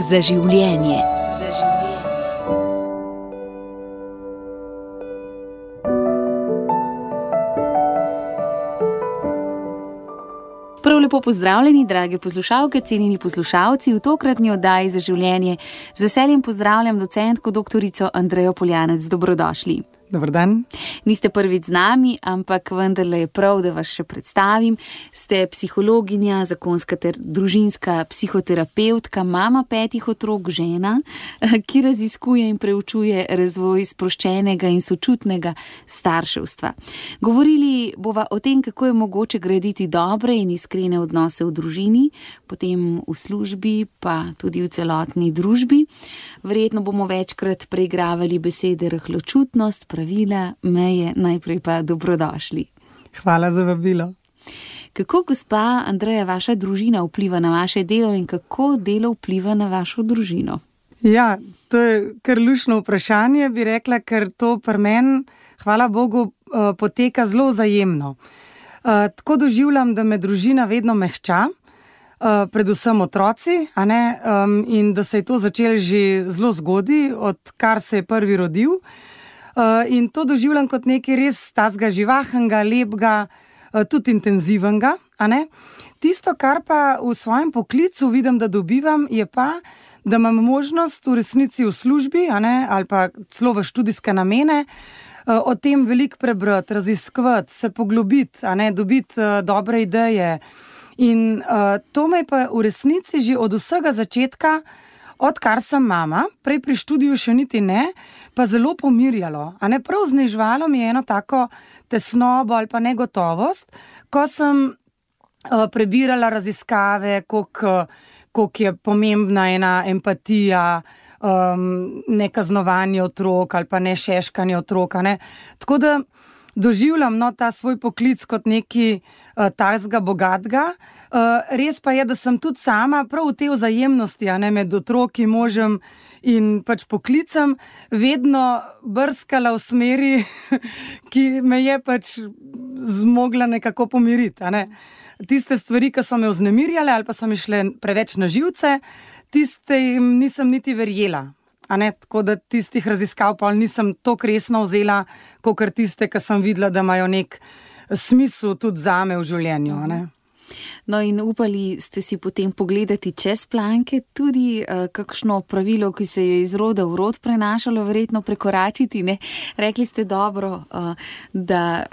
Za življenje. Prav lepo pozdravljeni, drage poslušalke, cenjeni poslušalci, v tokratni oddaji Za življenje. Z veseljem pozdravljam docentko doktorico Andrejo Poljanec. Dobrodošli. Dober dan. Niste prvič z nami, ampak vendarle je prav, da vas še predstavim. Ste psihologinja, zakonska ter družinska psihoterapevtka, mama 5 otrok, žena, ki raziskuje in preučuje razvoj sproščenega in sočutnega starševstva. Govorili bova o tem, kako je mogoče graditi dobre in iskrene odnose v družini, potem v službi, pa tudi v celotni družbi. Verjetno bomo večkrat preigravali besede rahločutnost, pravila, meje, najprej pa dobrodošli. Hvala za vabilo. Kako, gospa Andreja, vaša družina vpliva na vaše delo in kako delo vpliva na vašo družino? Ja, to je kar luštno vprašanje, bi rekla, ker to pri meni, hvala Bogu, poteka zelo vzajemno. Tako doživljam, da me družina vedno mehča, predvsem otroci, in da se je to začelo že zelo zgodaj, odkar se je prvi rodil. In to doživljam kot nekaj res tazga živahnega, lepega, tudi intenzivnega. Tisto, kar pa v svojem poklicu vidim, da dobivam, je pa, da imam možnost v resnici v službi, ali pa celo v študijske namene, o tem veliko prebrati, raziskovati, se poglobiti, dobiti dobre ideje. In to me pa v resnici že od vsega začetka, odkar sem mama, prej pri študiju še niti ne, pa zelo pomirjalo. Prav znižvalo mi je eno tako tesnobo ali pa negotovost, ko sem prebirala raziskave, koliko je pomembna ena empatija, nekaznovanje otrok ali pa nešeškanje otrok. Tako da doživljam ta svoj poklic kot nekaj takega bogatega. Res pa je, da sem tudi sama prav v tej vzajemnosti, med otroki, možem in pač poklicem vedno brskala v smeri, ki me je pač zmogla nekako pomiriti. Tiste stvari, ki so me vznemirjale ali pa so mi šle preveč na živce, tiste nisem niti verjela. Tako da tistih raziskav pa nisem toliko resno vzela, kakor tiste, ki sem videla, da imajo nek smisel tudi zame v življenju. No, in upali ste si potem pogledati čez planke, tudi kakšno pravilo, ki se je iz roda v rod prenašalo, verjetno prekoračiti, ne? Rekli ste dobro, da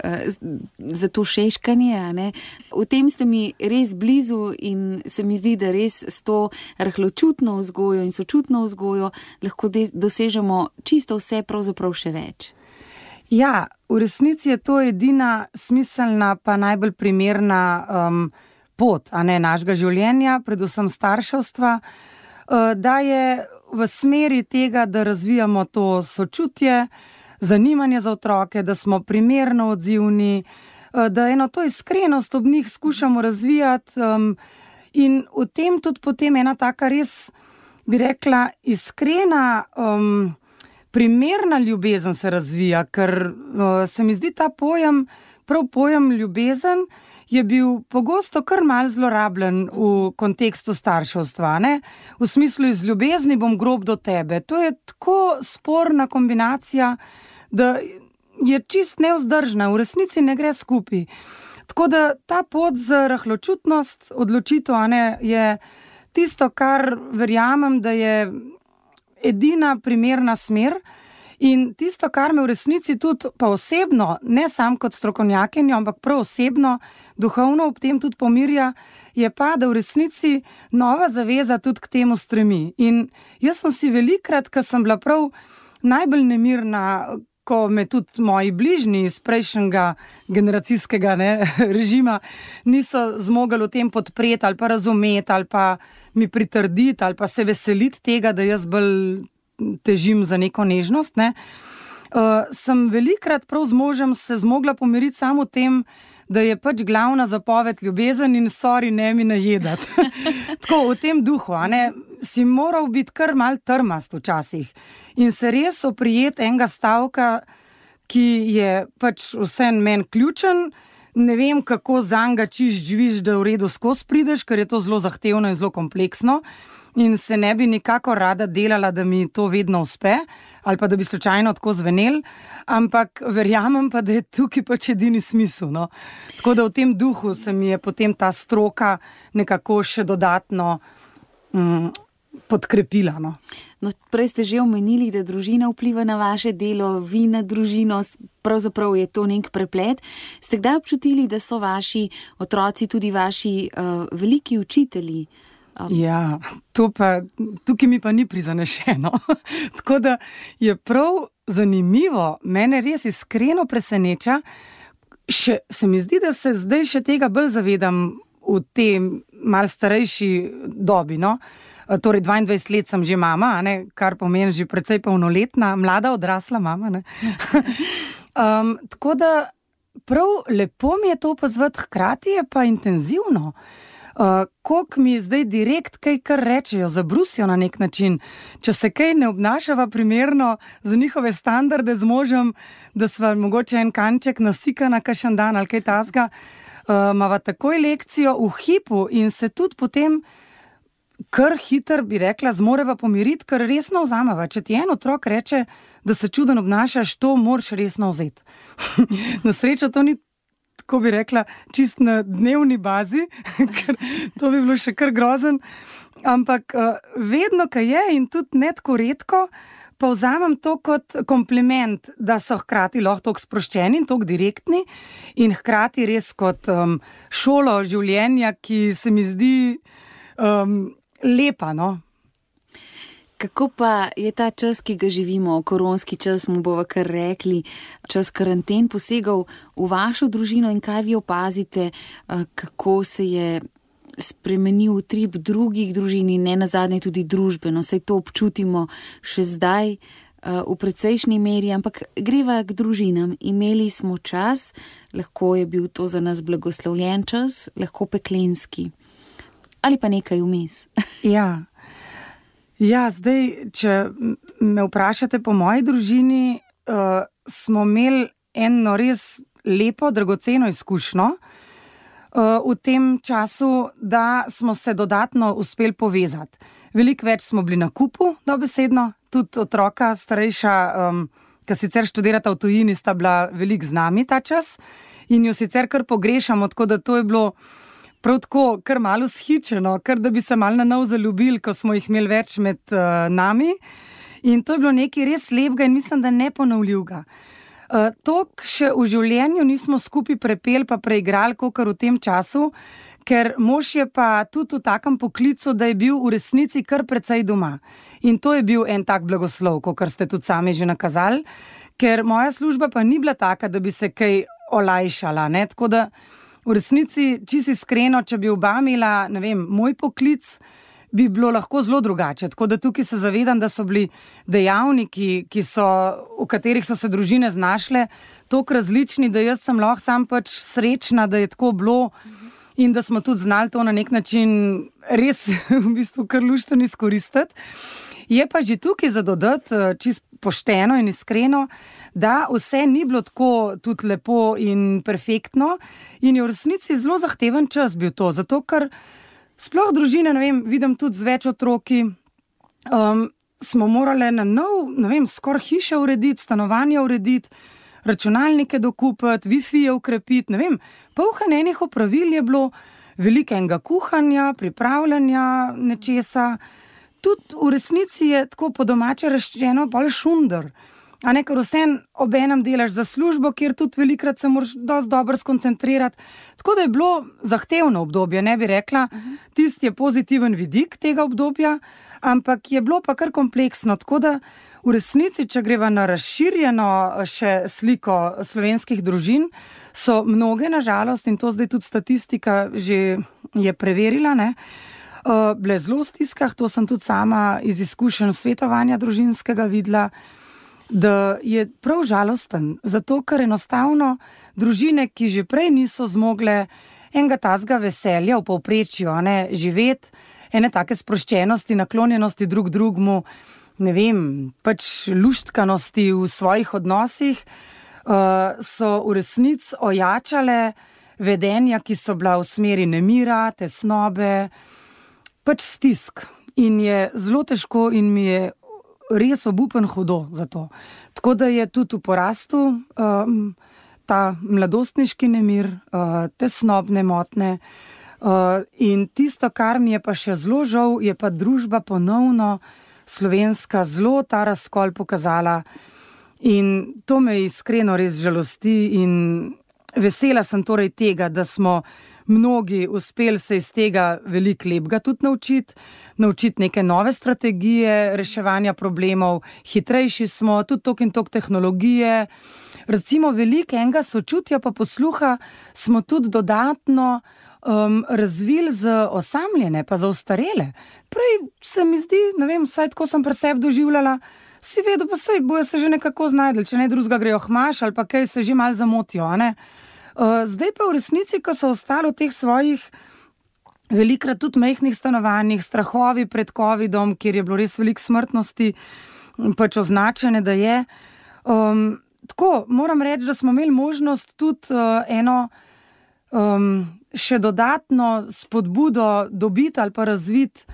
za to šeškanje, V tem ste mi res blizu in se mi zdi, da res s to rahločutno vzgojo in sočutno vzgojo lahko dosežemo čisto vse, pravzaprav še več. Ja, v resnici je to edina smiselna pa najbolj primerna pot, našega življenja, predvsem starševstva, da je v smeri tega, da razvijamo to sočutje, zanimanje za otroke, da smo primerno odzivni, da eno to iskrenost ob njih skušamo razvijati, in v tem tudi potem ena taka res, bi rekla, iskrena, primerna ljubezen se razvija, ker se mi zdi ta pojem, prav pojem ljubezen, je bil pogosto kar malo zlorabljen v kontekstu starševstva. V smislu, iz ljubezni bom grob do tebe. To je tako sporna kombinacija, da je čist nevzdržna, v resnici ne gre skupaj. Tako da ta pot za rahločutnost, odločitev, je tisto, kar verjamem, da je edina primerna smer. In tisto, kar me v resnici tudi pa osebno, ne sam kot strokovnjakinjo, ampak prav osebno, duhovno ob tem tudi pomirja, je pa, da v resnici nova zaveza tudi k temu stremi. In jaz sem si velikrat, ko sem bila prav najbolj nemirna, ko me tudi moji bližnji iz prejšnjega generacijskega režima niso zmogli v tem podpreti ali pa razumeti ali pa mi pritrditi ali pa se veseliti tega, da jaz bolj težim za neko nežnost, sem velikrat prav z možem se zmogla pomiriti samo v tem, da je pač glavna zapoved ljubezen in sorry, ne mi najedati. Tako, v tem duhu, si moral biti kar mal trmast včasih in se res oprijeti enega stavka, ki je pač vsem meni ključen, ne vem, kako zanj ga čiš živiš, da v redu skozi prideš, ker je to zelo zahtevno in zelo kompleksno. in se ne bi nikakor rada delala, da mi to vedno uspe, ali pa da bi slučajno tako zvenel, ampak verjamem pa, da je tukaj pač edini smisel. No? Tako da v tem duhu se mi je potem ta stroka nekako še dodatno podkrepila. No. No, prej ste že omenili, da družina vpliva na vaše delo, vi na družino, pravzaprav je to nek preplet. Ste kdaj občutili, da so vaši otroci tudi vaši veliki učitelji? Ja, tukaj mi pa ni prizanešeno. Tako da je prav zanimivo, mene res iskreno preseneča. Se mi zdi, da se zdaj še tega bolj zavedam v tem malo starejši dobi. No? Torej 22 let sem že mama, ne? Kar pomeni že precej polnoletna, mlada odrasla mama. Ne? Tako da prav lepo mi je to opazovati, hkrati je pa intenzivno. Koliko mi zdaj direkt kaj kar rečejo, zabrusijo na nek način, če se kaj ne obnašava primerno za njihove standarde z možem, da sva mogoče en kanček nasikana kakšen dan ali kaj tasga, imava takoj lekcijo v hipu in se tudi potem kar hiter, bi rekla, zmoreva pomiriti, ker resno vzameva. Če ti en otrok reče, da se čuden obnašaš, to moraš resno vzeti. Na srečo to ni, tako bi rekla, čist na dnevni bazi, ker to bi bilo še kar grozen, ampak vedno, kaj je in tudi ne tako redko, pa vzamem to kot kompliment, da so hkrati lahko toliko sproščeni in toliko direktni in hkrati res kot šolo življenja, ki se mi zdi lepa, no. Kako pa je ta čas, ki ga živimo, koronski čas, mu bova kar rekli, čas karanten posegal v vašo družino in kaj vi opazite, kako se je spremenil utrip drugih družin in ne nazadnje tudi družbeno, saj to občutimo še zdaj v precejšnji meri, ampak greva k družinam. Imeli smo čas, lahko je bil to za nas blagoslovljen čas, lahko peklenski. Ali pa nekaj vmes. Ja, zdaj, če me vprašate po moji družini, smo imeli eno res lepo, dragoceno izkušnjo v tem času, da smo se dodatno uspeli povezati. Veliko več smo bili na kupu, dobesedno, tudi otroka starejša, ki sicer študirata v tujini, sta bila veliko z nami ta čas in jo sicer kar pogrešamo, tako da to je bilo prav tako, kar malo shičeno, kar da bi se malo na nov zaljubili, ko smo jih imeli več med nami. In to je bilo nekaj res lepega in mislim, da neponovljivega. Tok še v življenju nismo skupaj prepeli pa preigrali, kakor v tem času, ker mož je pa tudi v takem poklicu, da je bil v resnici kar precej doma. In to je bil en tak blagoslov, kakor ste tudi sami že nakazali, ker moja služba pa ni bila taka, da bi se kaj olajšala, ne, tako da v resnici, čisto iskreno, če bi oba imela, ne vem, moj poklic, bi bilo lahko zelo drugače. Tako da tukaj se zavedam, da so bili dejavniki, v katerih so se družine znašle, toliko različni, da jaz sem lahko sam pač srečna, da je tako bilo in da smo tudi znali to na nek način res v bistvu kar luštno izkoristiti. Je pa že tukaj za dodati, čisto pošteno in iskreno, da vse ni bilo tako tudi lepo in perfektno in je v resnici zelo zahteven čas bil to, zato ker sploh družine, ne vem, vidim tudi z več otroki, smo morali na nov, ne vem, skoraj hiše urediti, stanovanja urediti, računalnike dokupiti, Wi-Fi ukrepiti, ne vem, polno enih opravil je bilo, veliko enega kuhanja, pripravljanja nečesa. Tudi v resnici je tako po domače rečeno bolj šunder, a ne, ker vsem obenem delaš za službo, kjer tudi velikrat se moraš dosti dobro skoncentrirati. Tako da je bilo zahtevno obdobje, ne bi rekla, tisti je pozitiven vidik tega obdobja, ampak je bilo pa kar kompleksno, tako da v resnici, če greva na razširjeno še sliko slovenskih družin, so mnoge na žalost, in to zdaj tudi statistika že je preverila, ne, bile zelo v stiskah, to sem tudi sama iz izkušenj svetovanja družinskega videla, da je prav žalosten, zato ker enostavno družine, ki že prej niso zmogle enega tazga veselja v povprečju, ne, živeti, ene take sproščenosti, naklonjenosti drug drugmu, ne vem, pač luštkanosti v svojih odnosih, so v resnici ojačale vedenja, ki so bila v smeri nemira, tesnobe, pač stisk. in je zelo težko in mi je res obupen hudo za to. Tako da je tudi v porastu ta mladostniški nemir, tesnobne motnje. In tisto, kar mi je pa še zelo žal, je pa družba ponovno slovenska zelo ta razkol pokazala. In to me iskreno res žalosti in vesela sem torej tega, da smo mnogi uspeli se iz tega veliko lepega tudi naučiti neke nove strategije reševanja problemov, hitrejši smo, tudi tok in tok tehnologije. Recimo veliko enega sočutja pa posluha smo tudi dodatno razvili za osamljene, pa za ostarele. Prej se mi zdi, ne vem, vsaj tako sem pri sebi doživljala, si vedel, pa sej bojo se že nekako znajdli, če ne drugega grejo hmaš ali pa kaj se že malo zamotijo, a ne? Zdaj pa v resnici, ko so ostali v teh svojih velikrat tudi majhnih stanovanjih, strahovi pred covidom, kjer je bilo res veliko smrtnosti, pač označene, da je. Tako, moram reči, da smo imeli možnost tudi eno še dodatno spodbudo dobiti ali pa razviti,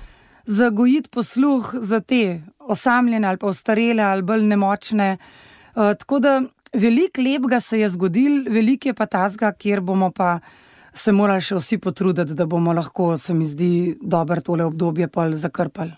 zagojiti posluh za te osamljene ali pa ostarele ali bolj nemočne. Tako da veliko lepega se je zgodilo, veliko je pa tazga, kjer bomo pa se morali še vsi potruditi, da bomo lahko, se mi zdi, dobro tole obdobje pol zakrpali.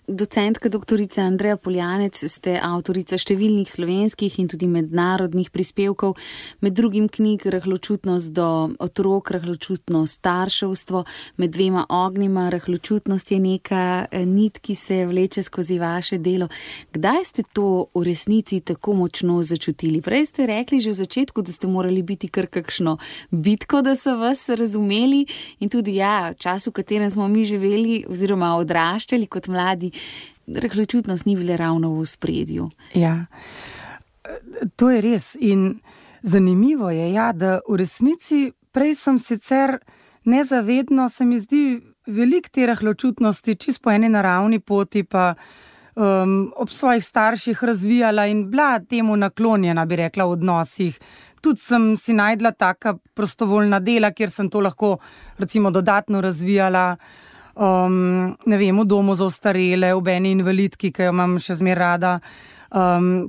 Docentka doktorica Andreja Poljanec, ste avtorica številnih slovenskih in tudi mednarodnih prispevkov, med drugim knjig Rahločutnost do otrok, Rahločutnost starševstvo, Med dvema ognjima. Rahločutnost je neka nit, ki se vleče skozi vaše delo. Kdaj ste to v resnici tako močno začutili? Prej ste rekli že v začetku, da ste morali biti kar kakšno bitko, da so vas razumeli, in tudi v času, v katerem smo mi živeli oziroma odraščali kot mladi, rahločutnost ni bila ravno v ospredju. Ja, to je res in zanimivo je, da v resnici prej sem sicer nezavedno, se mi zdi, veliko te rahločutnosti čisto po eni naravni poti pa ob svojih starših razvijala in bila temu naklonjena, bi rekla, v odnosih. Tudi sem si najdla taka prostovoljna dela, kjer sem to lahko recimo dodatno razvijala. Ne vem, v domu za ostarele, v eni invalidki, ki jo imam še zmeraj rada,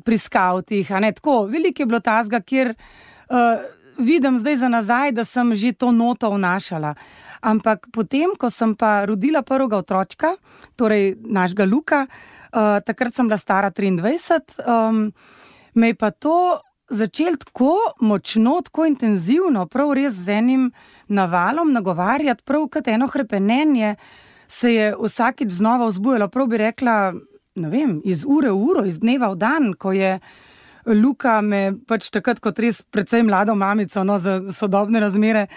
pri skavtih, a ne, tako, veliko je bilo tazga, kjer vidim zdaj za nazaj, da sem že to noto vnašala. Ampak potem, ko sem pa rodila prvega otročka, torej našega Luka, takrat sem bila stara 23, me je pa to začel tako močno, tako intenzivno, prav res z enim navalom nagovarjati, prav kot eno hrepenenje se je vsakič znova vzbujalo, prav bi rekla, ne vem, iz ure v uro, iz dneva v dan, ko je Luka me pač takrat kot res precej mlado mamico, za sodobne razmere,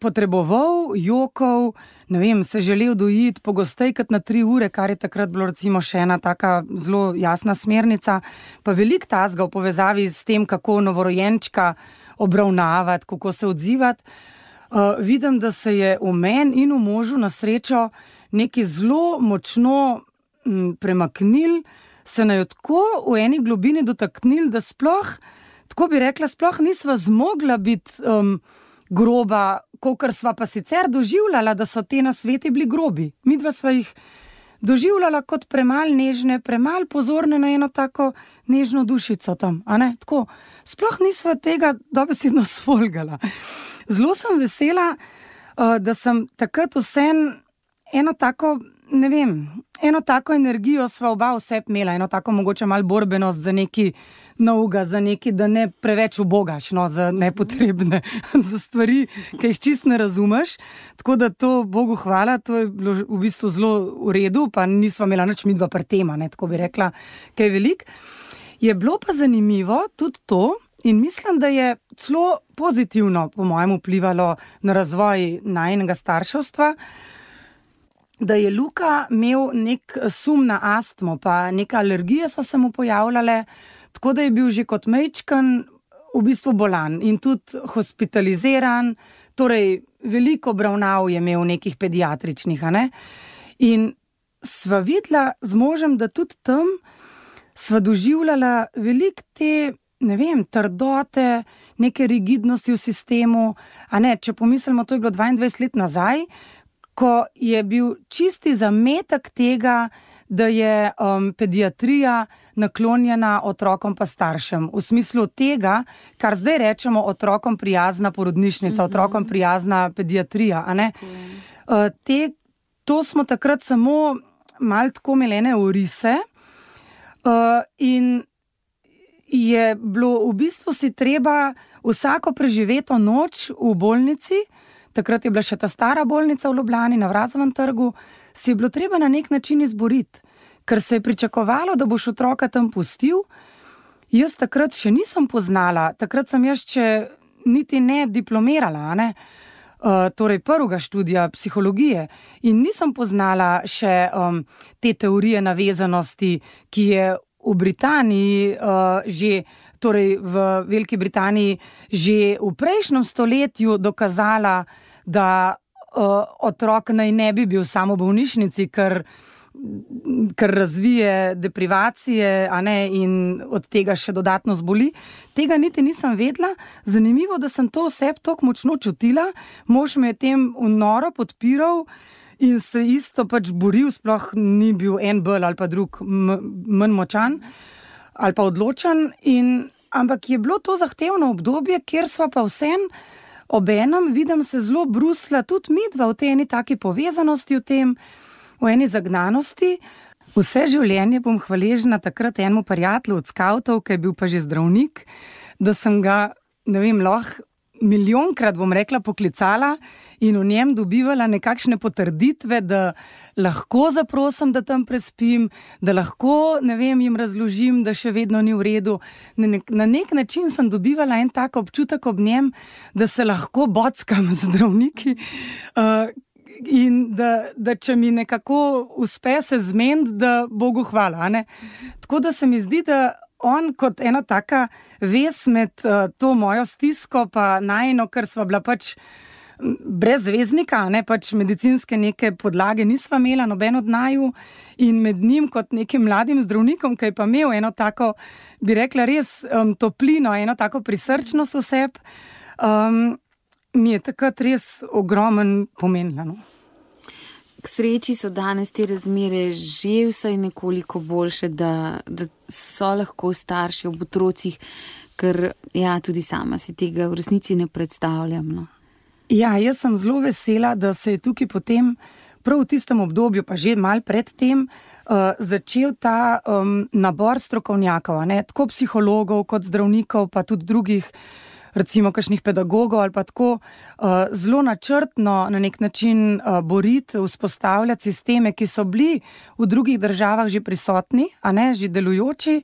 potreboval, jokal, ne vem, se želel dojiti pogosteje kot na 3 ure, kar je takrat bilo recimo še ena taka zelo jasna smernica, pa veliko tazga v povezavi s tem, kako novorojenčka obravnavati, kako se odzivati. Vidim, da se je v meni in v možu na srečo nekaj zelo močno premaknil, se naj tako v eni globini dotaknil, da sploh, tako bi rekla, sploh nisva zmogla biti groba, kakor sva pa sicer doživljala, da so te nasveti bili grobi. Midva sva jih doživljala kot premalo nežne, premalo pozorne na eno tako nežno dušico tam, a ne, tako. Sploh nisva tega dobesedno sfolgala. Zelo sem vesela, da sem takrat vseeno eno tako, ne vem, eno tako energijo sva oba vseb imela, eno tako mogoče malo borbenost za neki novega, za neki, da ne preveč ubogaš, za nepotrebne, za stvari, ki jih čist ne razumeš. Tako da to Bogu hvala, to je bilo v bistvu zelo v redu, pa nisva imela nič midva pri tema, ne, tako bi rekla, kaj veliko. Je bilo pa zanimivo tudi to, in mislim, da je celo pozitivno po mojem vplivalo na razvoj najinega starševstva, da je Luka imel nek sum na astmo, pa neke alergije so se mu pojavljale, tako da je bil že kot majčken v bistvu bolan in tudi hospitaliziran, torej veliko obravnav je imel nekih pediatričnih, a ne. In sva videla z možem, da tudi tam sva doživljala veliko te, ne vem, trdote, neke rigidnosti v sistemu, a ne, če pomislimo, to je bilo 22 let nazaj, ko je bil čisti zametek tega, da je pediatrija naklonjena otrokom pa staršem. V smislu tega, kar zdaj rečemo otrokom prijazna porodnišnica, otrokom prijazna pediatrija. A ne? To smo takrat samo malo tako imeli orise in je bilo v bistvu si treba vsako preživeto noč v bolnici, takrat je bila še ta stara bolnica v Ljubljani na Vrazovem trgu, si je bilo treba na nek način izboriti, ker se je pričakovalo, da boš otroka tam pustil. Jaz takrat še nisem poznala, takrat sem jaz še niti ne diplomirala, ne? Torej prvega študija psihologije in nisem poznala še te teorije navezanosti, ki je v Britaniji torej v Veliki Britaniji že v prejšnjem stoletju dokazala, da otrok naj ne bi bil samo v bolnišnici, ker razvije deprivacije, a ne, in od tega še dodatno zboli. Tega niti nisem vedela. Zanimivo, da sem to vse tako močno čutila. Mož me je tem noro podpiral in se isto pač boril, sploh ni bil en bolj ali pa drug manj močan ali pa odločen. Ampak je bilo to zahtevno obdobje, kjer sva pa vsem obenem, vidim se zelo brusla, tudi midva v tej eni taki povezanosti v tem, v eni zagnanosti. Vse življenje bom hvaležna takrat enemu prijatelju od skavtov, ki je bil pa že zdravnik, da sem ga, ne vem, lahko milijonkrat, bom rekla, poklicala in v njem dobivala nekakšne potrditve, da lahko zaprosim, da tam prespim, da lahko, ne vem, jim razložim, da še vedno ni v redu. Na nek način sem dobivala en tak občutek ob njem, da se lahko bockam z zdravniki, in da če mi nekako uspe se zmeniti, da Bogu hvala, ne? Tako da se mi zdi, da on kot ena taka vez med to mojo stisko pa najino, ker sva bila pač brez zvezdnika, ne, pač medicinske neke podlage nisva imela, noben od naju, in med njim kot nekim mladim zdravnikom, ki je pa imel eno tako, bi rekla res toplino, eno tako prisrčnost oseb, mi je takrat res ogromen pomenila, no. K sreči so danes te razmere že vsaj nekoliko boljše, da so lahko starši ob otrocih, ker ja, tudi sama si tega v resnici ne predstavljam, no. Ja, jaz sem zelo vesela, da se je tukaj potem, prav v tistem obdobju, pa že malo pred tem, začel ta nabor strokovnjakov, ne, tako psihologov kot zdravnikov, pa tudi drugih, recimo kakšnih pedagogov ali pa tako, zelo načrtno na nek način boriti, vzpostavljati sisteme, ki so bili v drugih državah že prisotni, a ne, že delujoči,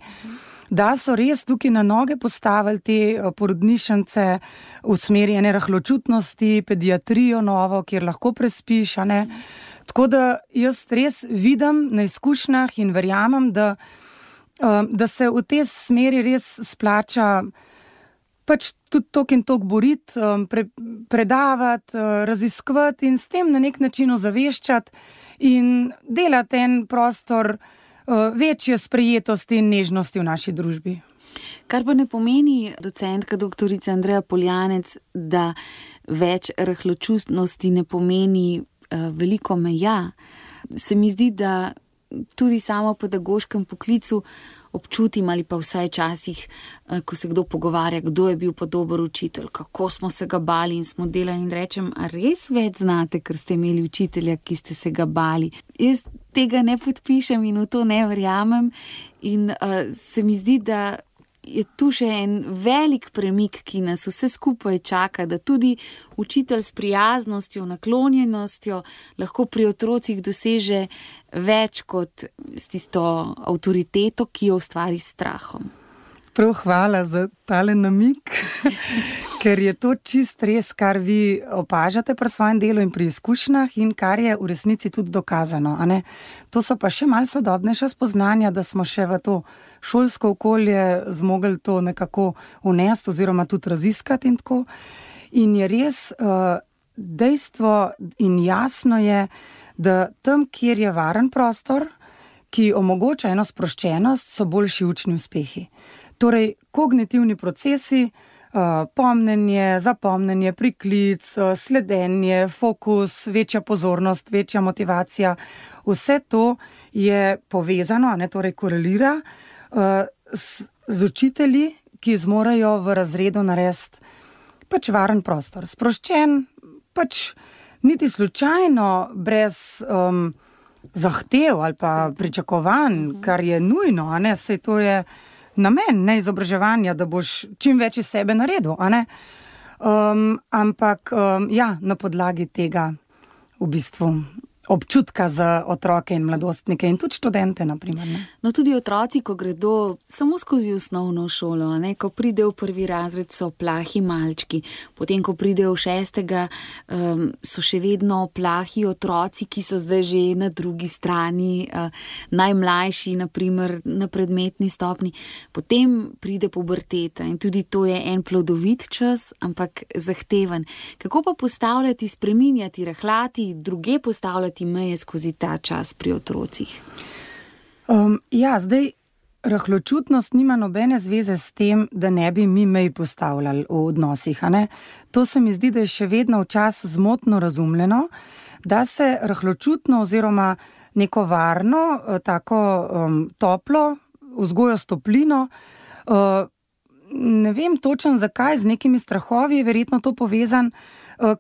da so res tukaj na noge postavili te porodnišnice v smeri ene rahločutnosti, pediatrijo novo, kjer lahko prespiš, a ne. Tako da jaz res vidim na izkušnjah in verjamem, da se v tej smeri res splača pač tudi tok in tok boriti, predavati, raziskovati in s tem na nek način ozaveščati in delati en prostor večje sprejetosti in nežnosti v naši družbi. Kar pa ne pomeni, docentka doktorica Andreja Poljanec, da več rahločutnosti ne pomeni veliko meja. Se mi zdi, da tudi samo v pedagoškem poklicu občutim ali pa vsaj časih, ko se kdo pogovarja, kdo je bil pa dober učitelj, kako smo se ga bali in smo delali in rečem, a res več znate, ker ste imeli učitelja, ki ste se ga bali. Jaz tega ne podpišem in v to ne verjamem in se mi zdi, da je tu še en velik premik, ki nas vse skupaj čaka, da tudi učitelj s prijaznostjo, naklonjenostjo lahko pri otrocih doseže več kot s tisto avtoriteto, ki jo ustvari s strahom. Prav hvala za tale namik, ker je to čist res, kar vi opažate pri svojem delu in pri izkušnjah in kar je v resnici tudi dokazano. A ne? To so pa še malo sodobnejša spoznanja, da smo še v to šolsko okolje zmogli to nekako vnesti oziroma tudi raziskati in tako. In je res dejstvo in jasno je, da tam, kjer je varen prostor, ki omogoča eno sproščenost, so boljši učni uspehi. Torej, kognitivni procesi pomnenje, zapomnenje, priklic, sledenje, fokus, večja pozornost, večja motivacija. Vse to je povezano, torej korelira z učitelji, ki zmorejo v razredu narediti pač varen prostor. Sproščen, pač niti slučajno, brez zahtev ali pa pričakovanj, kar je nujno, saj to je namen, ne, izobraževanja, da boš čim več iz sebe naredil, ampak na podlagi tega v bistvu občutka za otroke in mladostnike in tudi študente, naprimer. Ne? No, tudi otroci, ko gredo samo skozi osnovno šolo, ko pridejo v prvi razred, so plahi malčki, potem, ko pridejo v 6., so še vedno plahi otroci, ki so zdaj že na drugi strani, najmlajši, naprimer, na predmetni stopni. Potem pride puberteta in tudi to je en plodovit čas, ampak zahteven. Kako pa postavljati, spreminjati, rahljati, druge postavljati meje skozi ta čas pri otrocih? Zdaj, rahločutnost nima nobene zveze s tem, da ne bi mi mej postavljali v odnosih. To se mi zdi, da je še vedno včasih zmotno razumljeno, da se rahločutno oziroma neko varno, tako toplo, vzgojo s toplino, ne vem točno zakaj, z nekimi strahovi je verjetno to povezan,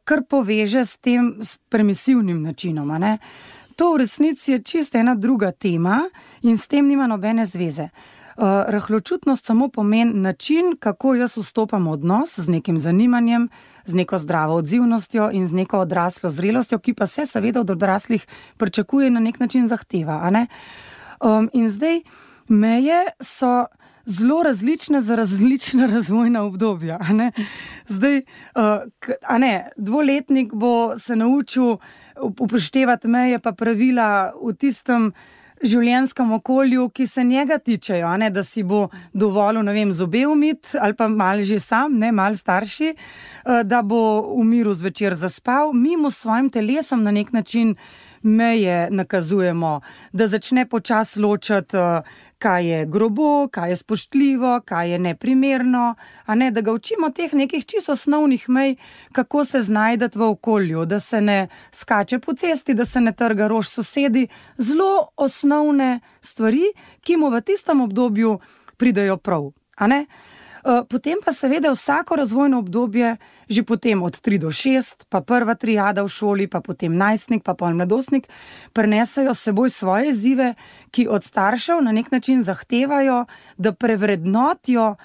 kar poveže s tem permisivnim načinom. To v resnici je čisto ena druga tema in s tem nima nobene zveze. Rahločutnost samo pomeni način, kako jaz vstopam v odnos z nekim zanimanjem, z neko zdravo odzivnostjo in z neko odraslo zrelostjo, ki pa se seveda od odraslih pričakuje na nek način zahteva. In zdaj meje so zelo različne za različna razvojna obdobja. Zdaj, dvoletnik bo se naučil upoštevati meje pa pravila v tistem življenjskem okolju, ki se njega tičejo, da si bo dovolil, zobe umiti ali pa malo že sam, malo starši, da bo v miru zvečer zaspal. Mi mu s svojim telesom na nek način meje nakazujemo, da začne počasi ločati, kaj je grobo, kaj je spoštljivo, kaj je neprimerno, da ga učimo teh nekih čisto osnovnih mej, kako se znajdati v okolju, da se ne skače po cesti, da se ne trga rož sosedi, zelo osnovne stvari, ki mu v tistem obdobju pridejo prav. Potem pa seveda vsako razvojno obdobje, že potem od 3 do 6, pa prva triada v šoli, pa potem najstnik, pa pol mladostnik, prinesajo s seboj svoje izzive, ki od staršev na nek način zahtevajo, da prevrednotijo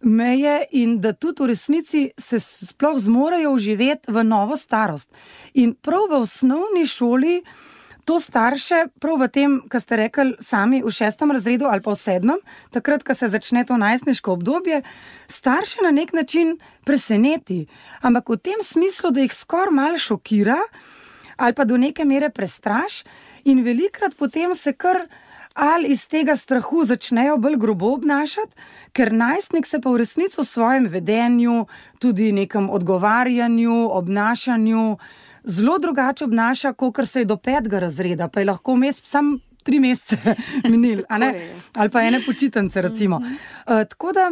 meje in da tudi v resnici se sploh zmorejo vživeti v novo starost. In prav v osnovni šoli to starše, prav v tem, kar ste rekli sami v 6. razredu ali pa v 7., takrat, ko se začne to najstniško obdobje, starše na nek način preseneti. Ampak v tem smislu, da jih skoraj malo šokira ali pa do neke mere prestraš in velikrat potem se kar ali iz tega strahu začnejo bolj grobo obnašati, ker najstnik se pa v resnici v svojem vedenju, tudi nekem odgovarjanju, obnašanju, zelo drugače obnaša, kakor se je do 5. razreda, pa je lahko sam 3 mesece minil, ali pa ene počitnice, recimo. Tako da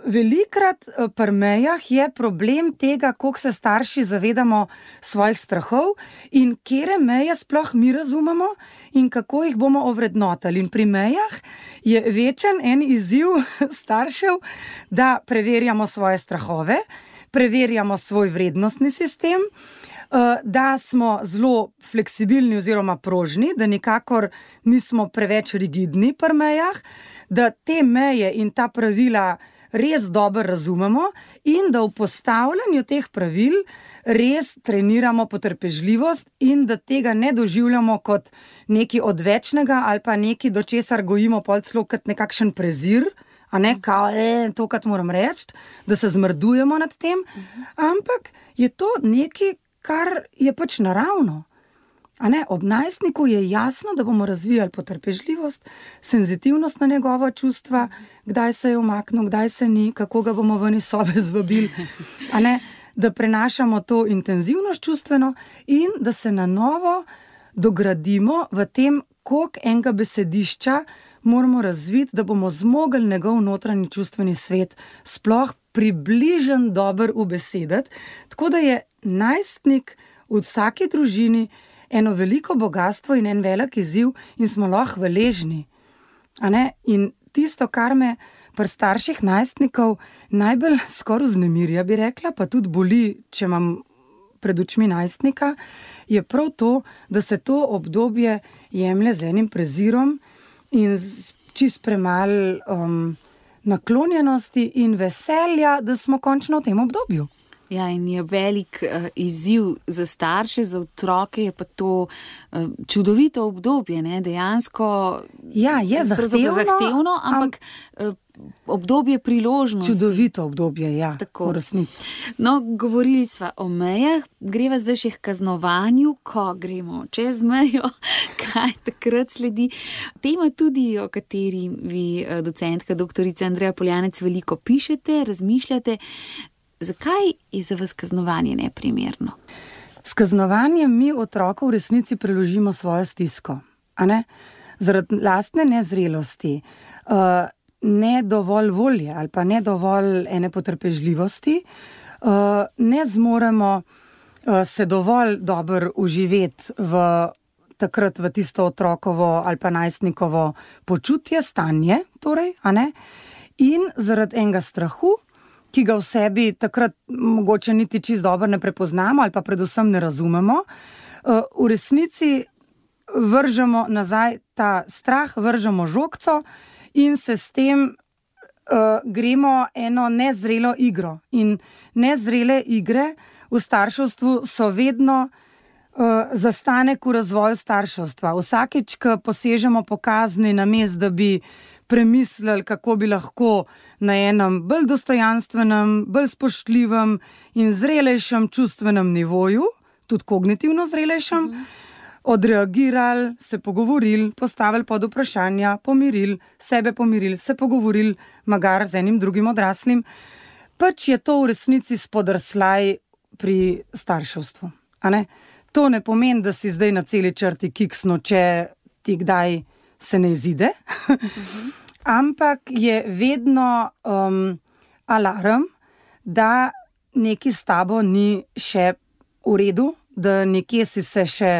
velikrat pri mejah je problem tega, koliko se starši zavedamo svojih strahov in katere meje sploh mi razumemo in kako jih bomo ovrednotili. In pri mejah je večen en izziv staršev, da preverjamo svoje strahove, preverjamo svoj vrednostni sistem, da smo zelo fleksibilni oziroma prožni, da nikakor nismo preveč rigidni pri mejah, da te meje in ta pravila res dobro razumemo in da v postavljanju teh pravil res treniramo potrpežljivost in da tega ne doživljamo kot nekaj odvečnega ali pa nekaj, do česar gojimo pol celo kot nekakšen prezir, kao, to, kar moram reči, da se zmrdujemo nad tem, ampak je to nekaj, kar je pač naravno. Ob najstniku je jasno, da bomo razvijali potrpežljivost, senzitivnost na njegova čustva, kdaj se je umaknil, kdaj se ni, kako ga bomo ven iz sobe zvabili, da prenašamo to intenzivnost čustveno in da se na novo dogradimo v tem, koliko enega besedišča moramo razviti, da bomo zmogli njegov notranji čustveni svet sploh približen dober ubesediti, tako da je najstnik v vsaki družini eno veliko bogatstvo in en velik izziv in smo lahko hvaležni. In tisto, kar me pri starših najstnikov najbolj skoraj vznemirja, bi rekla, pa tudi boli, če imam pred očmi najstnika, je prav to, da se to obdobje jemlje z enim prezirom in čist premalo naklonjenosti in veselja, da smo končno v tem obdobju. Ja, in je velik izziv za starše, za otroke je pa to čudovito obdobje, ne? Dejansko je zahtevno, ampak obdobje priložnosti. Čudovito obdobje, ja, tako, v resnici. No, govorili sva o mejah, greva zdaj še k kaznovanju, ko gremo čez mejo, kaj takrat sledi. Tema tudi, o kateri vi, docentka doktorica Andreja Poljanec, veliko pišete, razmišljate. Zakaj je za vas kaznovanje neprimerno? S kaznovanjem mi otroku v resnici preložimo svojo stisko. Zaradi lastne nezrelosti, ne dovolj volje ali pa ne dovolj ene potrpežljivosti, ne zmoremo se dovolj dobro uživeti takrat v tisto otrokovo ali pa najstnikovo počutje, stanje, torej, in zaradi enega strahu, ki ga v sebi takrat mogoče niti čisto dobro ne prepoznamo ali pa predvsem ne razumemo, v resnici vržemo nazaj ta strah, vržemo žogco in se s tem gremo eno nezrelo igro. In nezrele igre v starševstvu so vedno zastanek v razvoju starševstva. Vsakič, ko posežemo po kazni, namesto da bi premislili, kako bi lahko na enem bolj dostojanstvenem, bolj spoštljivem in zrelejšem čustvenem nivoju, tudi kognitivno zrelejšem, odreagirali, se pogovorili, postavili pod vprašanja, pomirili, sebe pomirili, se pogovorili, magar z enim drugim odraslim, pač je to v resnici spodrsljaj pri starševstvu. To ne pomeni, da si zdaj na celi črti kiksno, če ti kdaj se ne izide, ampak je vedno alarm, da nekaj s tabo ni še v redu, da nekje si se še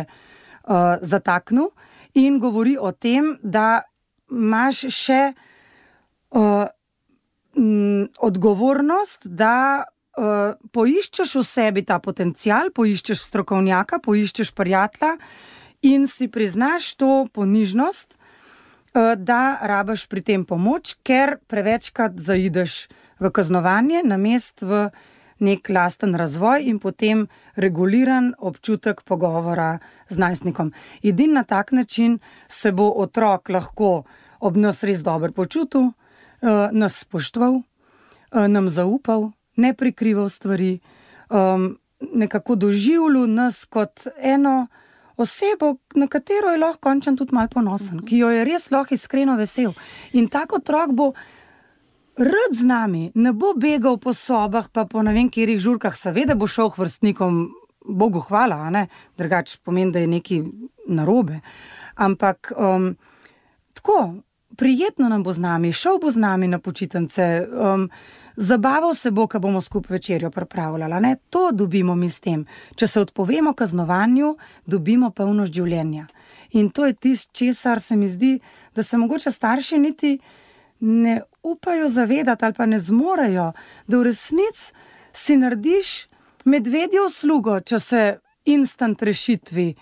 zataknil in govori o tem, da imaš še odgovornost, da poiščeš v sebi ta potencial, poiščeš strokovnjaka, poiščeš prijatelja in si priznaš to ponižnost, da rabiš pri tem pomoč, ker prevečkrat zaideš v kaznovanje, namesto v nek lasten razvoj in potem reguliran občutek pogovora z najstnikom. Edino na tak način se bo otrok lahko ob nas res dobro počutil, nas spoštoval, nam zaupal, ne prikrival stvari, nekako doživljal nas kot eno osebo, na katero je lahko končen tudi malo ponosen, ki jo je res lahko iskreno vesel. In tak otrok bo rad z nami, ne bo begal po sobah, pa po ne vem katerih žurkah, seveda bo šel k vrstnikom, Bogu hvala, drugače pomeni, da je nekaj narobe. Ampak tako, prijetno nam bo z nami, šel bo z nami na počitnice, zabaval se bo, ko bomo skupaj večerjo pripravljali. To dobimo mi s tem. Če se odpovemo kaznovanju, dobimo polnost življenja. In to je tisto, česar se mi zdi, da se mogoče starši niti ne upajo zavedati ali pa ne zmorejo, da v resnici si narediš medvedjo uslugo, če se instant rešitvi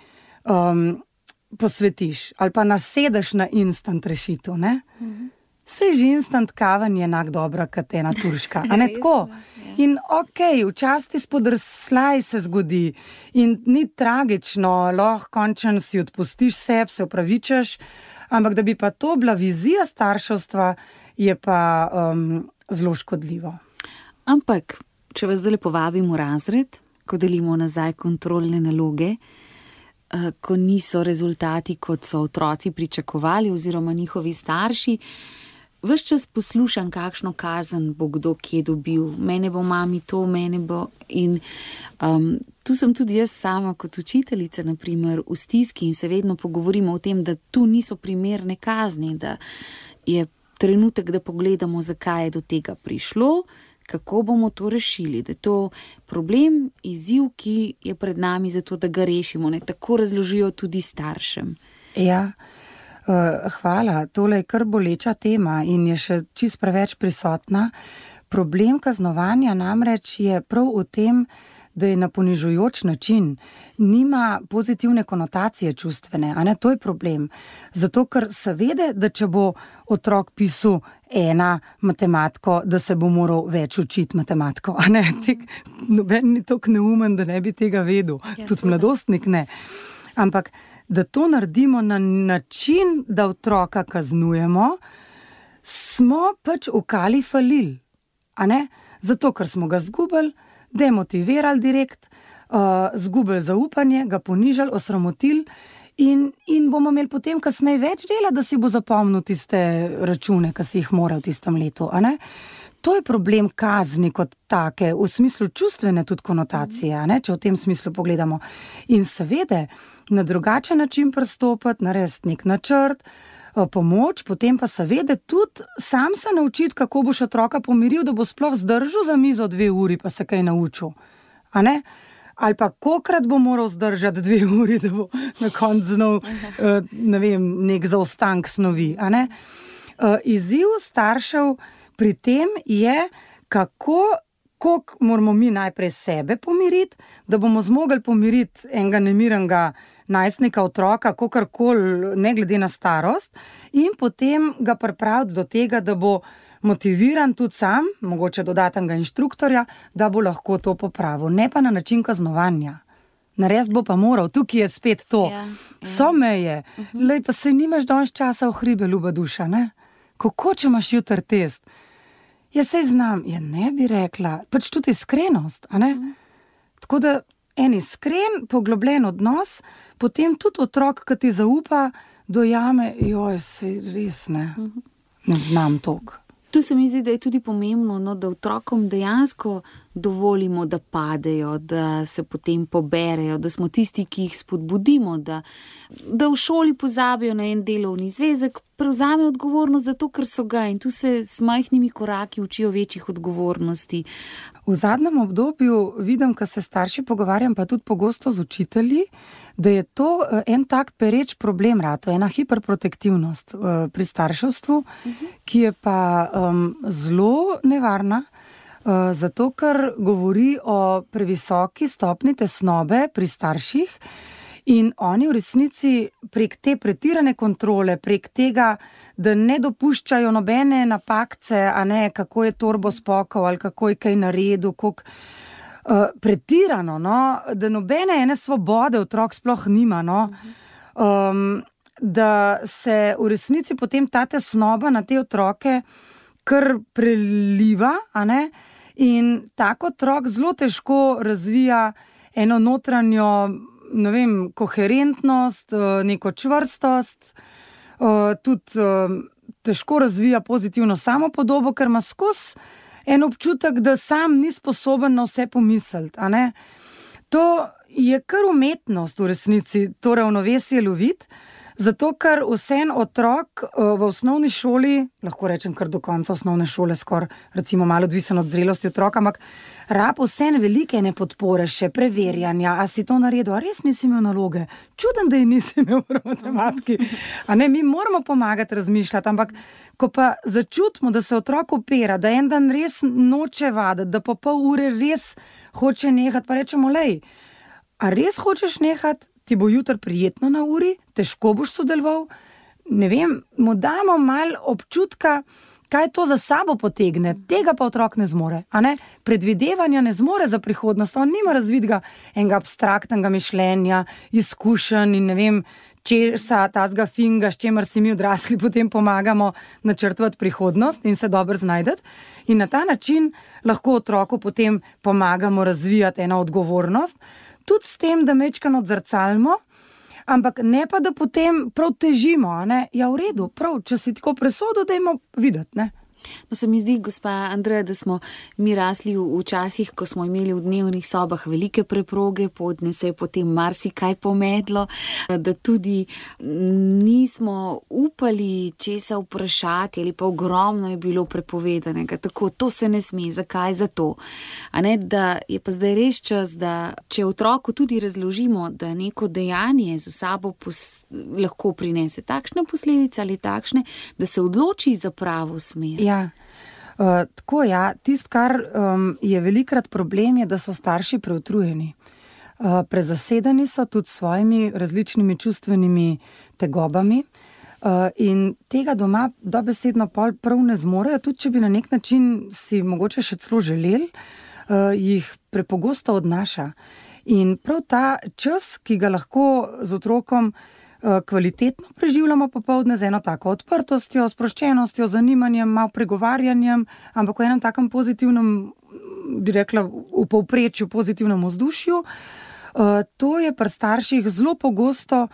posvetiš ali pa nasedeš na instant rešitev, Sej že instant kaven je enak dobra, kot ena turška, tako? In včasih spodrsljaj se zgodi in ni tragično, lahko končen si odpustiš sebi, se opravičeš, ampak da bi pa to bila vizija starševstva, je pa zelo škodljivo. Ampak, če vas zdaj povabim v razred, ko delimo nazaj kontrolne naloge, ko niso rezultati, kot so otroci pričakovali oziroma njihovi starši, ves čas poslušam, kakšno kazen bo kdo kje dobil. Mene bo mami to, mene bo... In tu sem tudi jaz sama kot učiteljica, na primer, v stiski in se vedno pogovorimo o tem, da tu niso primerne kazni, da je trenutek, da pogledamo, zakaj je do tega prišlo, kako bomo to rešili, da je to problem, izziv, ki je pred nami zato, da ga rešimo. Ne? Tako razložijo tudi staršem. Ja, hvala. Tole je kar boleča tema in je še čisto preveč prisotna. Problem kaznovanja namreč je prav v tem, da je na ponižujoč način, nima pozitivne konotacije čustvene, a ne, to je problem. Zato, ker se vede, da če bo otrok pisal ena matematiko, da se bo moral več učiti matematiko, a ne, noben ni toliko neumen, da ne bi tega vedel, tudi mladostnik ne. Ampak, da to naredimo na način, da otroka kaznujemo, smo pač ukali falil, a ne, zato, ker smo ga zgubili, demotivirali direkt, zgubili zaupanje, ga ponižali, osramotili in bomo imeli potem kasneje več dela, da si bo zapomnil tiste račune, ki si jih mora v tistem letu, a ne? To je problem kazni kot take, v smislu čustvene tudi konotacije, a ne? Če v tem smislu pogledamo. In seveda, na drugačen način pristopiti, narediti nek načrt, pomoč, potem pa seveda tudi sam se naučiti, kako boš otroka pomiril, da bo sploh zdržal za mizo 2 uri, pa se kaj naučil. A ne? Ali pa kolikrat bo moral zdržati 2 uri, da bo na koncu znal, ne vem, nek zaostank snovi. A ne? Izziv staršev pri tem je, koliko moramo mi najprej sebe pomiriti, da bomo zmogli pomiriti enega nemirenega najstnika, otroka, kakorkoli, ne glede na starost, in potem ga pripraviti do tega, da bo motiviran tudi sam, mogoče dodatnega inštruktorja, da bo lahko to popravil. Ne pa na način kaznovanja. Narediti bo pa moral, tukaj je spet to. So meje. Lej, pa se nimaš danes časa v hribe, ljuba duša, ne? Kako, če imaš jutri test? Ja, sej znam, ja ne bi rekla, pač tudi iskrenost, a ne? Tako da en iskren, poglobljen odnos, potem tudi otrok, ki ti zaupa, dojame, joj, sej res ne znam toliko. Tu se mi zdi, da je tudi pomembno, no, da otrokom dejansko dovolimo, da padejo, da se potem poberejo, da smo tisti, ki jih spodbudimo, da v šoli pozabijo na en delovni zvezek, prevzame odgovornost za to, ker so ga, in tu se s majhnimi koraki učijo večjih odgovornosti. V zadnjem obdobju vidim, ko se starši pogovarjam, pa tudi pogosto z učitelji, da je to en tak pereč problem rato, ena hiperprotektivnost pri starševstvu, ki je pa zelo nevarna, zato ker govori o previsoki stopni tesnobe pri starših in oni v resnici prek te pretirane kontrole, prek tega, da ne dopuščajo nobene napakce, a ne, kako je torbo spokal ali kako je kaj naredil, koliko pretirano, no, da nobene ene svobode otrok sploh nima, no, da se v resnici potem ta tesnoba na te otroke kar preliva, a ne, in tak otrok zelo težko razvija eno notranjo, ne vem, koherentnost, neko čvrstost, tudi težko razvija pozitivno samopodobo, ker ima skozi en občutek, da sam ni sposoben na vse pomisliti, a ne. To je kar umetnost v resnici, to ravnovesje loviti, zato ker vsem otrok v osnovni šoli, lahko rečem kar do konca osnovne šole, skoraj recimo malo odvisen od zrelosti otroka, ampak rab vsem velike nepodpore, še preverjanja, a si to naredil, a res nisi imel naloge, čuden, da je nisi imel v matematiki, a ne, mi moramo pomagati razmišljati, ampak ko pa začutimo, da se otrok opera, da en dan res noče vaditi, da po pol ure res hoče nehati, pa rečemo, lej, a res hočeš nehati, ti bo jutri prijetno na uri, težko boš sodeloval, ne vem, mu damo malo občutka, kaj to za sabo potegne, tega pa otrok ne zmore, a ne, predvidevanja ne zmore za prihodnost, on nima razvidega enega abstraktnega mišljenja, izkušenj in ne vem, česa tazga finga, s čemer si mi odrasli potem pomagamo načrtovati prihodnost in se dobro znajdeti. In na ta način lahko otroku potem pomagamo razvijati eno odgovornost, tudi s tem, da mečkano odzrcalimo, ampak ne pa, da potem prav težimo, a ne, ja v redu, prav, če si tako presodo, dajmo videti, ne. No, se mi zdi, gospa Andreja, da smo mi rasli v časih, ko smo imeli v dnevnih sobah velike preproge, podne se je potem marsikaj pomedlo, da tudi nismo upali česa vprašati ali pa ogromno je bilo prepovedanega. Tako, to se ne sme, zakaj za to? A ne, da je pa zdaj res čas, da če otroku tudi razložimo, da neko dejanje za sabo lahko prinese takšne posledice ali takšne, da se odloči za pravo smer. Ja. Tako tisto, kar je velikrat problem, je, da so starši preutrujeni. Prezasedeni so tudi s svojimi različnimi čustvenimi tegobami in tega doma dobesedno prav ne zmorejo, tudi če bi na nek način si mogoče še celo želeli, jih prepogosto odnaša. In prav ta čas, ki ga lahko z otrokom kvalitetno preživljamo popoldne z eno tako odprtostjo, sproščenostjo, zanimanjem, malo pregovarjanjem, ampak v enem takem pozitivnem, bi rekla, v povprečju pozitivnem vzdušju. To je pri starših zelo pogosto,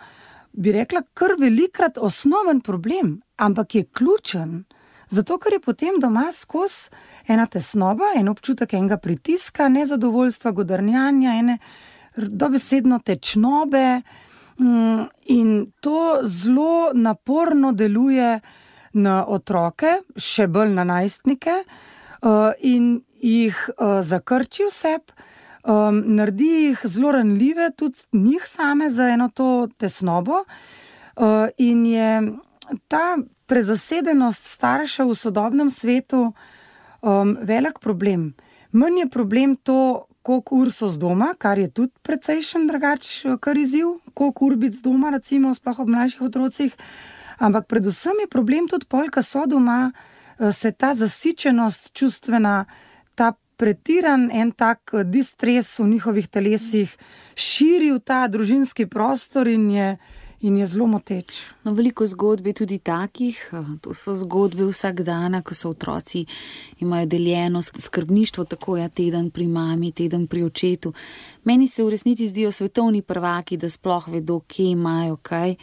bi rekla, kar velikrat osnoven problem, ampak je ključen, zato ker je potem doma skozi ena tesnoba, en občutek enega pritiska, nezadovoljstva, godrnjanja, ene dobesedno tečnobe. In to zelo naporno deluje na otroke, še bolj na najstnike, in jih zakrči vseb, naredi jih zelo ranljive, tudi njih same za eno to tesnobo, in je ta prezasedenost staršev v sodobnem svetu velik problem. Manj je problem to, koliko ur so z doma, kar je tudi precejšen kar izziv, koliko ur biti z doma, recimo, sploh ob mlajših otrocih, ampak predvsem je problem tudi pol, ko so doma, se ta zasičenost čustvena, ta pretiran en tak distres v njihovih telesih širi v ta družinski prostor in je zelo moteč. No, veliko zgodb je tudi takih, to so zgodbe vsak dana, ko so otroci, imajo deljeno skrbništvo, tako teden pri mami, teden pri očetu. Meni se v resnici zdijo svetovni prvaki, da sploh vedo, kje imajo kaj.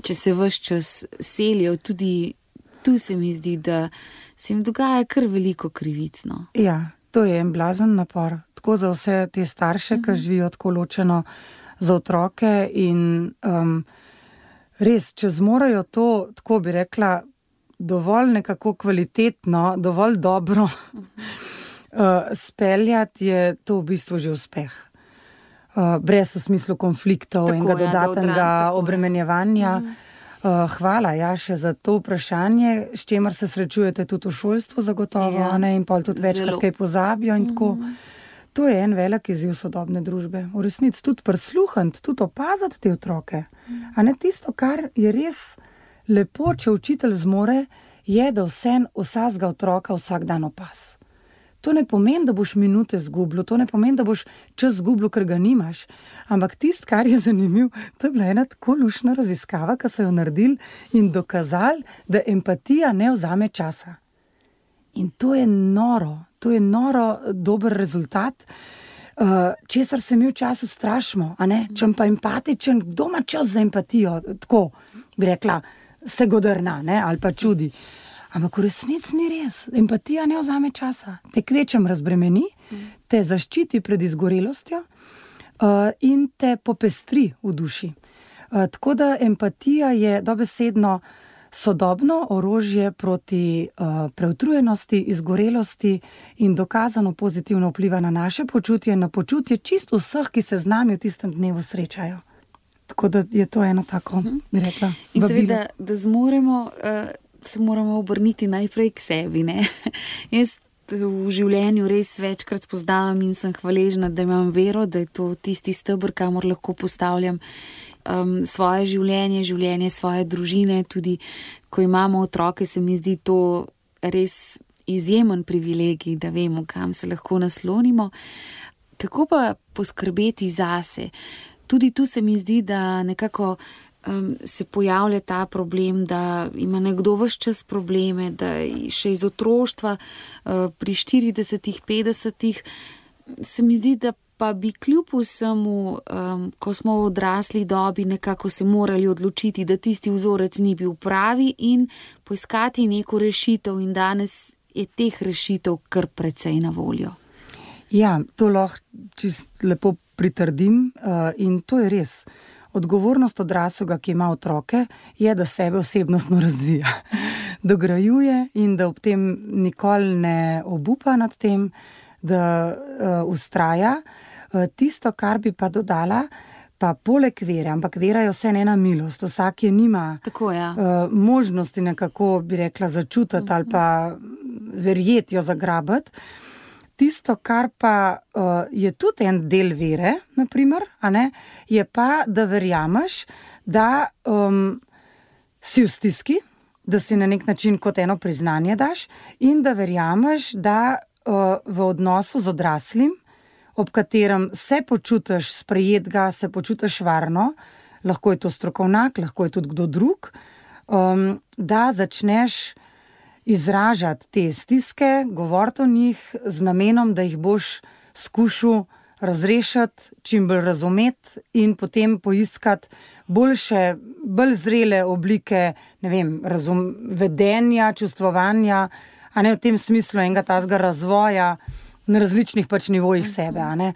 Če se ves čas selijo, tudi tu se mi zdi, da se jim dogaja kar veliko krivic. No. Ja, to je en blazen napor. Tako za vse te starše, ki živijo tako ločeno za otroke in res, če zmorajo to, tako bi rekla, dovolj nekako kvalitetno, dovolj dobro speljati, je to v bistvu že uspeh. Brez v smislu konfliktov in dodatnega obremenjevanja. Hvala, še za to vprašanje, s čemer se srečujete tudi v šolstvu zagotovo, in pol tudi večkrat kaj pozabijo in tako. To je en velik izziv sodobne družbe. V resnici tudi prisluhniti, tudi opaziti te otroke. A ne tisto, kar je res lepo, če učitelj zmore, je, da vsakega otroka vsak dan opaz. To ne pomeni, da boš minute zgubil, to ne pomeni, da boš čas zgubil, ker ga nimaš. Ampak tisto, kar je zanimivo, to je bila ena tako luštna raziskava, ki so jo naredili in dokazali, da empatija ne vzame časa. In to je noro dober rezultat, česar se mi včasih strašimo, a ne? Če pa empatičen, kdo ima čas za empatijo, tako bi rekla, se godrna, ne? Ali pa čudi. Ampak v resnici ni res, empatija ne vzame časa, te kvečem razbremeni, te zaščiti pred izgorelostjo in te popestri v duši. Tako da empatija je dobesedno sodobno orožje proti preutrujenosti, izgorelosti in dokazano pozitivno vpliva na naše počutje, na počutje čisto vseh, ki se z nami v tistem dnevu srečajo. Tako da je to eno tako, bi rekla, in seveda, da zmoremo, se moramo obrniti najprej k sebi, ne? Jaz v življenju res večkrat spoznavam in sem hvaležna, da imam vero, da je to tisti steber, kamor lahko postavljam svoje življenje svoje družine, tudi ko imamo otroke, se mi zdi to res izjemen privilegij, da vemo, kam se lahko naslonimo. Kako pa poskrbeti zase? Tudi tu se mi zdi, da nekako se pojavlja ta problem, da ima nekdo ves čas probleme, da še iz otroštva pri 40, 50 se mi zdi, da pa bi kljub vsemu, ko smo v odrasli dobi nekako se morali odločiti, da tisti vzorec ni bil pravi in poiskati neko rešitev. In danes je teh rešitev kar precej na voljo. Ja, to lahko čist lepo pritrdim in to je res. Odgovornost odraslega, ki ima otroke, je, da sebe osebnostno razvija, dograjuje in da ob tem nikoli ne obupa nad tem, da vztraja. Tisto, kar bi pa dodala, pa poleg vere, ampak vera je vse ena milost, vsak je nima Tako, ja. možnosti nekako, bi rekla, začutiti ali pa verjeti jo zagrabiti. Tisto, kar pa je tudi en del vere, naprimer, je pa, da verjameš, da si v stiski, da si na nek način kot eno priznanje daš in da verjameš, da v odnosu z odraslim, ob katerem se počutiš sprejetega, se počutiš varno, lahko je to strokovnjak, lahko je tudi kdo drug, da začneš izražati te stiske, govoriti o njih z namenom, da jih boš skušal razrešiti, čim bolj razumeti in potem poiskati boljše, bolj zrele oblike, ne vem, vedenja, čustvovanja, a ne v tem smislu enega tazga razvoja na različnih pač nivojih sebe, a ne.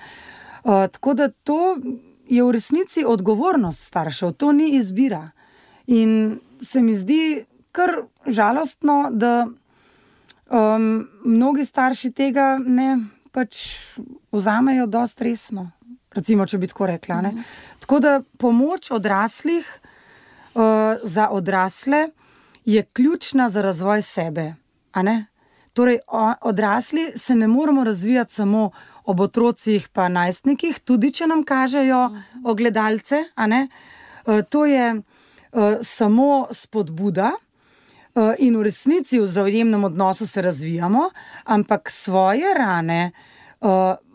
Tako da to je v resnici odgovornost staršev, to ni izbira. In se mi zdi kar žalostno, da mnogi starši tega ne pač vzamejo dosti resno. Recimo, če bi tako rekla. Ne? Tako da pomoč odraslih za odrasle je ključna za razvoj sebe. A ne? Torej, odrasli se ne moramo razvijati samo ob otrocih pa najstnikih, tudi če nam kažejo ogledalce. A ne? To je samo spodbuda. In v resnici v vzajemnem odnosu se razvijamo, ampak svoje rane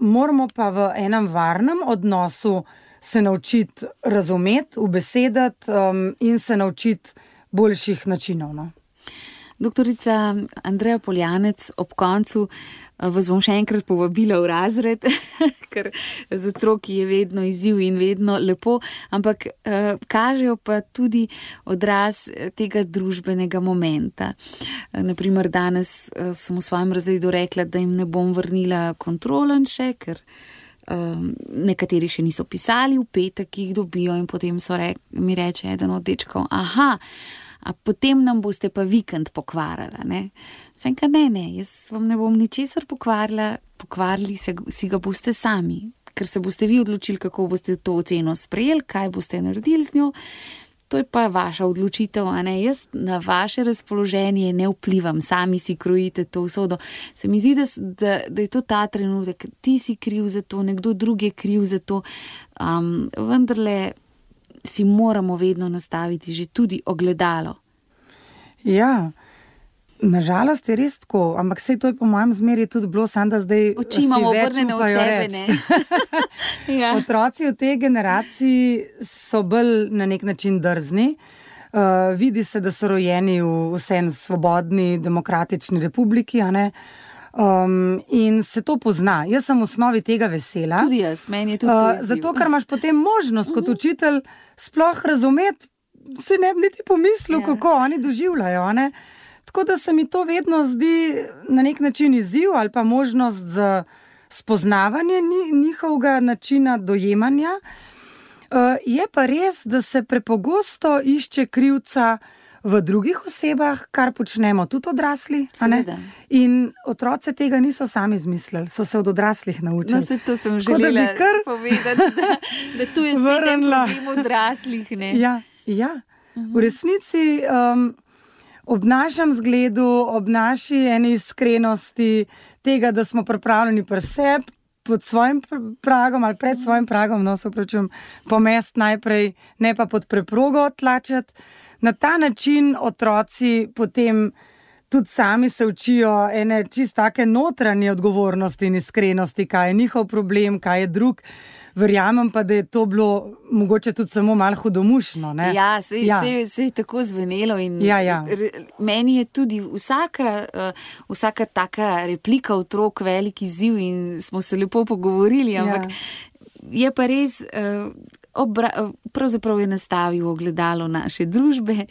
moramo pa v enem varnem odnosu se naučiti razumeti, ubesedati in se naučiti boljših načinov. No? Doktorica Andreja Poljanec, ob koncu vas bom še enkrat povabila v razred, ker z otroki je vedno izziv in vedno lepo, ampak kažejo pa tudi odraz tega družbenega momenta. Naprimer, danes sem v svojem razredu rekla, da jim ne bom vrnila kontrolenše, ker nekateri še niso pisali, v petek jih dobijo in potem mi reče eden od dečkov, a potem nam boste pa vikend pokvarjala, ne? Sem ka ne, jaz vam ne bom ničesar pokvarjala, pokvarili si ga boste sami, ker se boste vi odločili, kako boste to oceno sprejeli, kaj boste naredili z njo, to je pa vaša odločitev, a ne? Jaz na vaše razpoloženje ne vplivam, sami si krojite to usodo. Se mi zdi, da je to ta trenutek, ti si kriv za to, nekdo drug je kriv za to, vendarle si moramo vedno nastaviti že tudi ogledalo. Ja, nažalost je res tako, ampak sej to je po mojem zmeri tudi bilo, samo da zdaj oči imamo obrnjene od sebe, ne? Ja. Otroci v tej generaciji so bolj na nek način drzni. Vidi se, da so rojeni v vsem svobodni, demokratični republiki, a ne? In se to pozna. Jaz sem v osnovi tega vesela. Tudi jaz, meni je tudi to izziv. Zato, ker imaš potem možnost kot učitelj sploh razumeti, se ne bi niti pomislil, kako oni doživljajo. Ne? Tako da se mi to vedno zdi na nek način izziv ali pa možnost za spoznavanje njihovega načina dojemanja. Je pa res, da se prepogosto išče krivca v drugih osebah, kar počnemo tudi odrasli. In otroci tega niso sami izmislili, so se od odraslih naučili. No, se to sem želela povedati, da tu je spet en problem odraslih. Ne? Ja. V resnici ob našem zgledu, ob naši eni iskrenosti, tega, da smo pripravljeni pri sebi, pod svojim pragom ali pred svojim pragom, pomest najprej, ne pa pod preprogo tlačati. Na ta način otroci potem tudi sami se učijo ene čisto take notranje odgovornosti in iskrenosti, kaj je njihov problem, kaj je drug. Verjamem pa, da je to bilo mogoče tudi samo malo hudomušno. Ne? Ja, se je tako zvenelo in meni je tudi vsaka taka replika otrok velik izziv in smo se lepo pogovorili, ampak je pa res, pravzaprav je nastavil ogledalo naše družbe.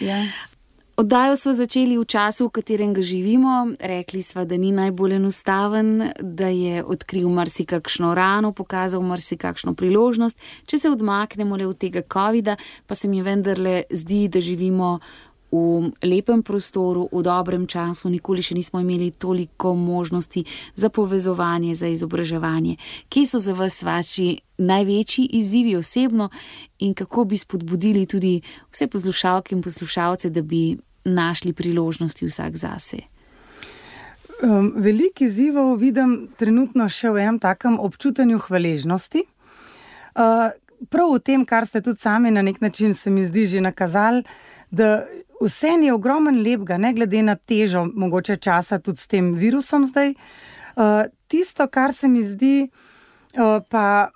Oddajo smo začeli v času, v katerem ga živimo. Rekli smo, da ni najbolj enostaven, da je odkril marsikakšno rano, pokazal marsikakšno priložnost. Če se odmaknemo le od tega covida, pa se mi vendarle zdi, da živimo v lepem prostoru, v dobrem času. Nikoli še nismo imeli toliko možnosti za povezovanje, za izobraževanje. Kje so za vas vaši največji izzivi osebno in kako bi spodbudili tudi vse poslušalke in poslušalce, da bi našli priložnosti vsak zase? Veliko izzivov vidim trenutno še v enem takem občutenju hvaležnosti. Prav v tem, kar ste tudi sami na nek način, se mi zdi, že nakazali, da vse je ogromen lepega, ne glede na težo mogoče časa tudi s tem virusom zdaj. Tisto, kar se mi zdi pa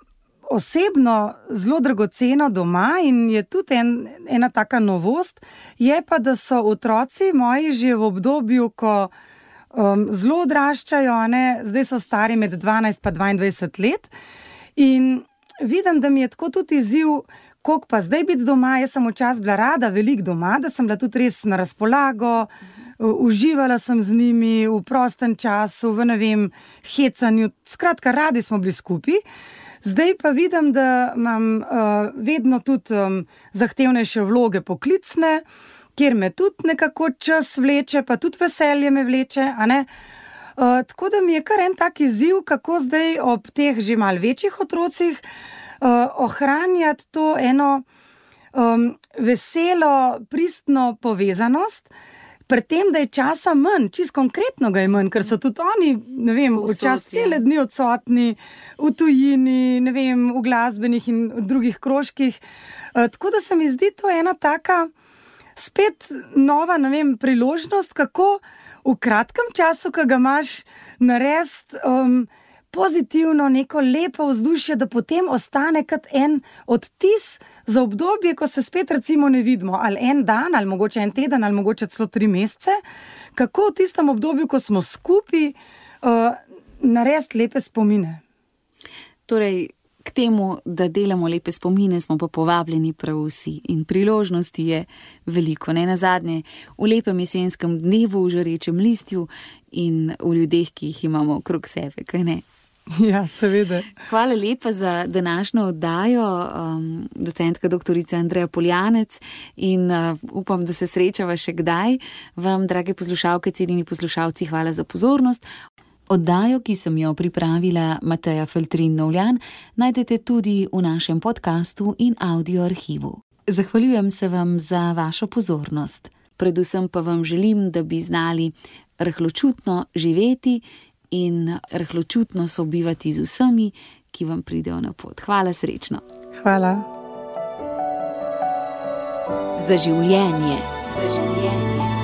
osebno zelo dragoceno doma in je tudi ena taka novost, je pa, da so otroci moji že v obdobju, ko zelo odraščajo, zdaj so stari med 12 pa 22 let in vidim, da mi je tako tudi izziv, koliko pa zdaj biti doma. Jaz sem včasih bila rada veliko doma, da sem bila tudi res na razpolago, uživala sem z njimi v prostem času, v hecanju, skratka, radi smo bili skupaj. Zdaj pa vidim, da imam vedno tudi zahtevnejše vloge poklicne, kjer me tudi nekako čas vleče, pa tudi veselje me vleče, tako da mi je kar en tak izziv, kako zdaj ob teh že malo večjih otrocih ohranjati to eno veselo, pristno povezanost, pri tem, da je časa manj, čisto konkretno ga je manj, ker so tudi oni, včasih cele dni odsotni, v tujini, v glasbenih in drugih krožkih. Tako da se mi zdi to ena taka spet nova, priložnost, kako v kratkem času, ko ga imaš, narediti pozitivno, neko lepo vzdušje, da potem ostane kot en odtis za obdobje, ko se spet recimo ne vidimo, ali en dan, ali mogoče en teden, ali mogoče celo 3 mesece, kako v tistem obdobju, ko smo skupaj, narediti lepe spomine. Torej, k temu, da delamo lepe spomine, smo pa povabljeni prav vsi in priložnosti je veliko. Ne nazadnje, v lepem jesenskem dnevu, v žarečem listju in v ljudeh, ki jih imamo okrog sebe, kaj ne? Ja, seveda. Hvala lepa za današnjo oddajo, docentka doktorica Andreja Poljanec, in upam, da se srečava še kdaj. Vam, drage poslušalke, cenjeni poslušalci, hvala za pozornost. Oddajo, ki sem jo pripravila Mateja Feltrin-Novljan, najdete tudi v našem podcastu in audio arhivu. Zahvaljujem se vam za vašo pozornost. Predvsem pa vam želim, da bi znali rahločutno živeti in rahločutno sobivati z vsemi, ki vam pridejo na pot. Hvala, srečno. Hvala. Za življenje. Za življenje.